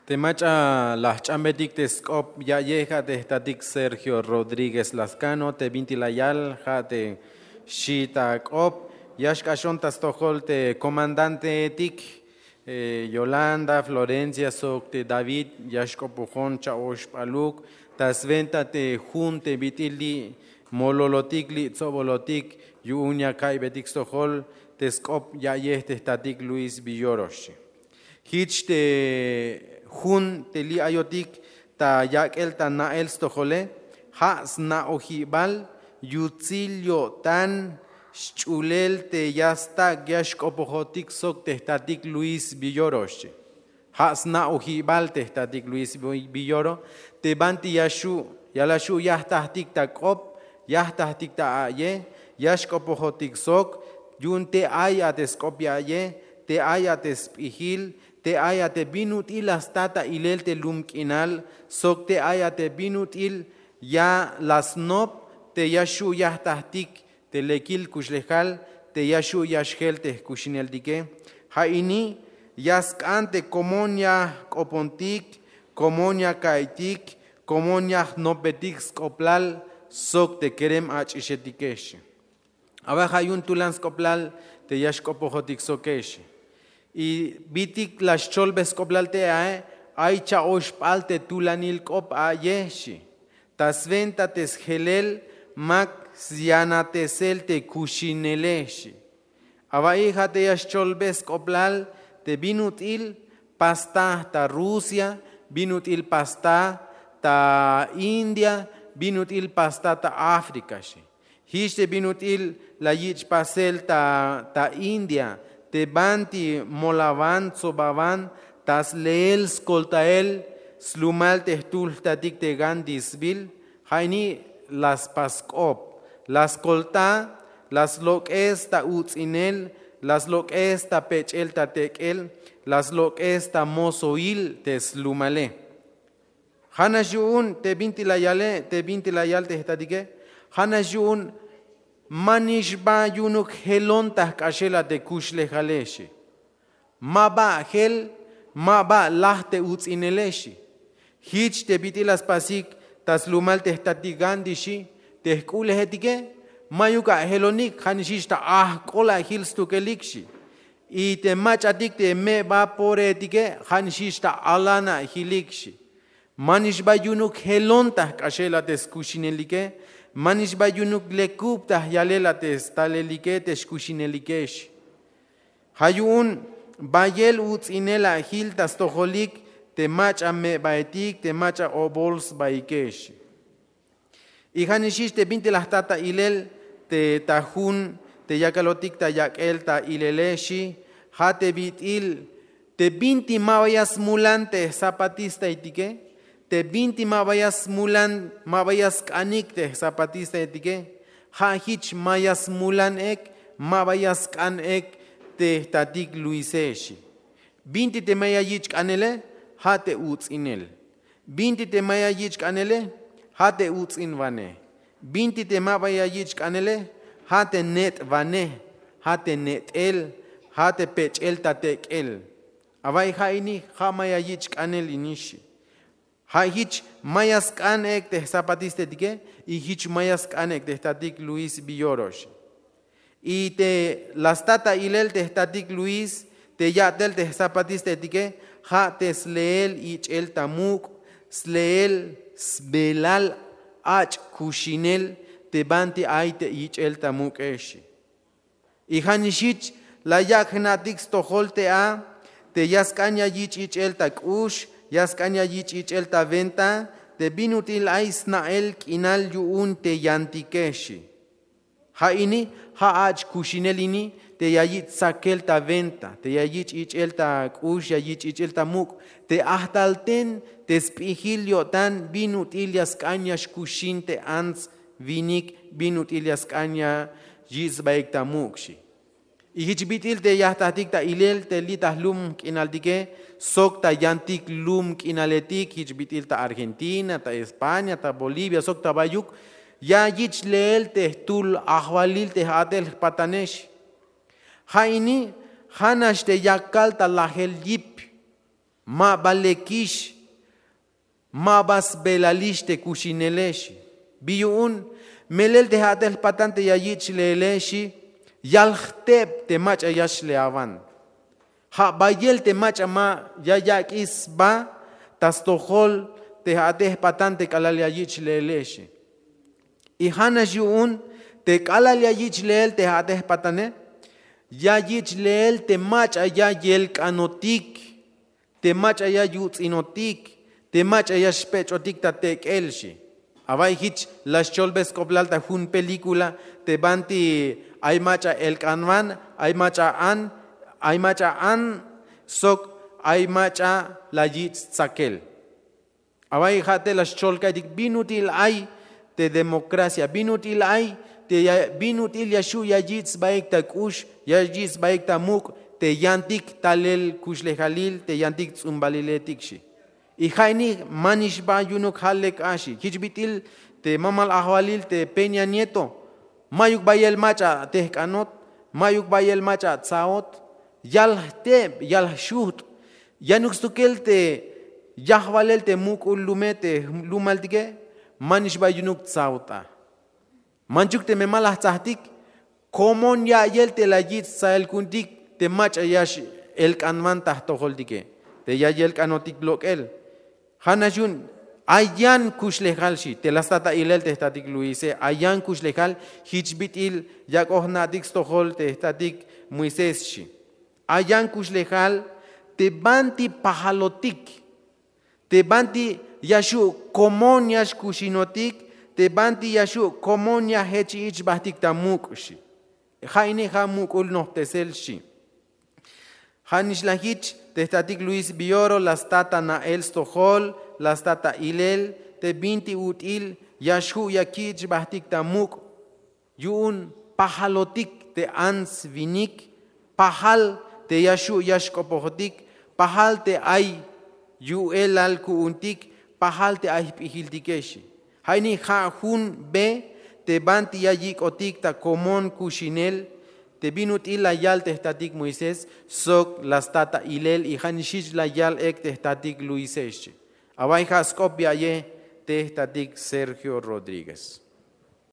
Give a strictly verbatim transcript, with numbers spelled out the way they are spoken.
Te mach'a la jch'ambetik te sk'op ya'yej, ja' te jtatik Sergio Rodríguez Lascano. Te bintik la yal ja' te xchi ta k'op. Ya xk'axon ta stojol te komandanteetik, eh, Yolanda, Florencia sok te David, ya xk'opojon cha'oxp'aluk ta swenta te jun te bit'il li' mololotik, li' tsobolotik yu'un ya ka'iybetik stojol te sk'op ya'yej te jtatik Luis Villoro, xchi. Jich te jun te li' ayotik ta yak'el ta na'el stojole, ja' sna'ojibal yutsil yo'tan xch'ulel te ya stak' ya xk'opojotik sok te jtatik Luis Villoro, xchi. Ja' sna'ojibal te jtatik Luis Villoro te banti ya xu', ya la xu' yajtajtik ta k'op, yajtajtik ta a'yej, ya xk'opojotik sok yu'un te ay a te sk'op ya'yej, te ay a te sp'ijil, te ay a te bin ut'il la sta ta ilel te lum k'inal sok te ay a te bin ut'il ya la snop te ya xu' yajtajtik te lekil kuxlejal te ya xu' ya xjel te jkuxineltike. Ja' ini ya sk'an te komon ya jk'opontik, komon ya ka'iytik, komon ya jnopbetik sk'oplal sok te kerem ach'ixetike, xchi. Awa'y ja' yu'un tulan sk'oplal te ya xk'opojotik soke, xchi. Y bit'il la xcholbe sk'oplal te ae, ay cha'oxp'al te tulanil k'op a'yej, xchi. Ta swenta te sjelel mak syanatesel te kuxinele, xchi. Awa'y ja' te ya xcholbe sk'oplal te bin ut'il pastaj ta Rusia, bin ut'il pastaj ta India, bin ut'il pastaj ta África, xchi. Jich te bin ut'il la yich' pasel ta, ta India, te banti molawan, tsobawan, ta sleel skoltael slumal te jtul jtatik te Gandhi sbiil, ja' ini la spas sk'op, la skolta, la slok'es ta uts'inel, la slok'es ta pech'el ta tek'el, la slok'es ta mosoil te slumale. Ja' nax yu'un te bintik la yale, te bintik la yal te jtatike, ja' nax yu'un manix ba yu'unuk jelon ta jk'axel a te kuxlejale, xchi. Ma ba jel, ma ba laj te uts'inele, xchi. Jich te bit'il la spasik ta slumal te jtatik Gandhi, xchi, te jk'u'lejetike ma'yuk a jelonik, ja' nix jich ta ajk'ol a jil stukelik, xchi. Y te mach'atik te me'ba poreetike, ja' nix jich ta alan a jilik, xchi. Manix ba yu'unuk jelon ta jk'axel a te skuxinelike, manix ba yu'unuk lekub ta jyalel a te stalelike, te xkuxinelike, xchi. Ja' yu'un bayel uts'inel a jil ta stojolik te mach'a me'baetik, te mach'a obol sbaike, xchi. Y ja' nix jich te bintik la jta ta ilel te ta jun te yakalotik ta yak'el ta ilele, xchi, ja' te bit'il te binti ma ba ya smulan te jzapatistaetike, te binti ma ba ya smulan, ma ba ya sk'anik te jzapatistaetike, ja' jich ma ya smulan ek, ma ba ya sk'an ek te jtatik Luise, xchi. Binti te ma ya yich' k'anele, ja' te uts'inel. Binti te ma ya yich' k'anele, ja' te uts'inwanej. Binti te ma ba ya yich' k'anele, ja' te net'wanej, ja' te net'el, ja' te pech'el ta tek'el. Awa'y ja' ini ja' ma ya yich' k'anel ini, xchi. Ja' jich ma ya sk'an ek te jzapatistaetike, y jich ma ya sk'an ek te jtatik Luis Villoro, xchi. Y te la sta ta ilel te jtatik Luis te ya'tel te jzapatistaetike, ja' te sleel ich'el ta muk', sleel sbelal ach' kuxinel te banti ay te ich'el ta muk'e, xchi. Y ja' nix jich la yak' jna'tik stojol te a te ya sk'an ya yich' ich'el ta k'ux, ya sk'an ya yich' ich'el ta wenta, te bin ut'il ay sna'el k'inal yu'un te yantike, xchi. Ja' ini ja' ach' kuxinel ini te ya yich' tsakel ta wenta, te ya yich' ich'el ta k'ux, ya yich' ich'el ta muk', te ajtal ten te sp'ijil yo'tan bin ut'il ya sk'an ya xkuxin te ants winik, bin ut'il ya sk'an ya yich' sbaik ta muk', xchi. Y jich bit'il te ya jtatik ta ilel te li' ta jlum k'inaltike sok ta yantik lum k'inaletik, jich bit'il ta Argentina, ta España, ta Bolivia sok ta bayuk, ya yich' leel te jtul ajwalil te j-a'tel jpatane, xchi. Ja' ini ja' nax te ya kal ta lajel yip. Ma ba lekix, ma ba sbelalix te kuxinele xi. Bi yu'un? Melel te ja'tel jpatan te ya yich' leele xi, yal jteb te mach'a ya xleawan. Ja' bayel te mach'a ma ya yak'ix sba ta stojol te ja'tel jpatan te k'alal ya yich' leele xi. Y ja'nax yu'un te k'alal ya yich' leel te ja'tel jpatane, ya yich' leel te mach'a ya yelk'anotik, te mach'a ya yuts'inotik, te mach'a ya xpech'otik ta tek'el xi. Awa'y jich la xcholbe sk'oplal ta jun película te banti ay mach'a elk'anwan, ay mach'a an, ay mach'a an sok ay mach'a la yich' tsakel. Awa'y ja' te la xchol ka'iytik bin ut'il ay te democracia, bin ut'il ay te ya, bin ut'il ya xu' ya yich' sbaik ta k'ux, ya yich' sbaik ta muk' te yantik talel kuxlejalil, te yantik ts'umbaliletik xi. Y ja' ini manix ba yu'unuk ja' lek a xi. Jich bit'il te mamal ajwalil te Peña Nieto, mayuk bayel mach'a tejk'anot, mayuk bayel mach'a tsaot, yal jteb, yal jxujt', yanuk stukel te yajwalel te muk'ul lume te lumaltike, manix ba yu'unuk tsaot a. Manchuk teme ma la jtsajtik, komon ya'iyel te la yich' tsael ku'untik te mach'a ya x-elk'anwan ta jtojoltike, te ya yelk'anotik lok'el. Ja'nax yu'un ay yan kuxlejal xi, te la sta ta ilel te jtatik Luise, ay yan kuxlejal jich bit'il yak'oj jna'tik stojol te jtatik Moisés xi. Ay yan kuxlejal te banti pajalotik, te banti ya xu' komon ya xkuxinotik, te banti ya xu' komon ya jech ich' bajtik ta muk' xi. Ja' ini ja' muk'ul nojptesel xi. Ja' nix la jich te jtatik Luis Villoro la sta ta na'el stojol, la sta ta ilel te binti ut'il ya xju' ya kich' bajtik ta muk'. Yu'un pajalotik te ants winik, pajal te ya xu' ya xk'opojotik, pajal te ay yu'elal ku'untik, pajal te ay jp'ijiltike xi. Ja' ini ja' jun be te banti ya yik'otik ta komon kuxinel, te bin ut'il la yal te jtatik Moisés sok la sta ta ilel, y ja' nix jich la yal ek te jtatik Luise xi. Awa'y ja' sk'op bi aye te jtatik Sergio Rodríguez.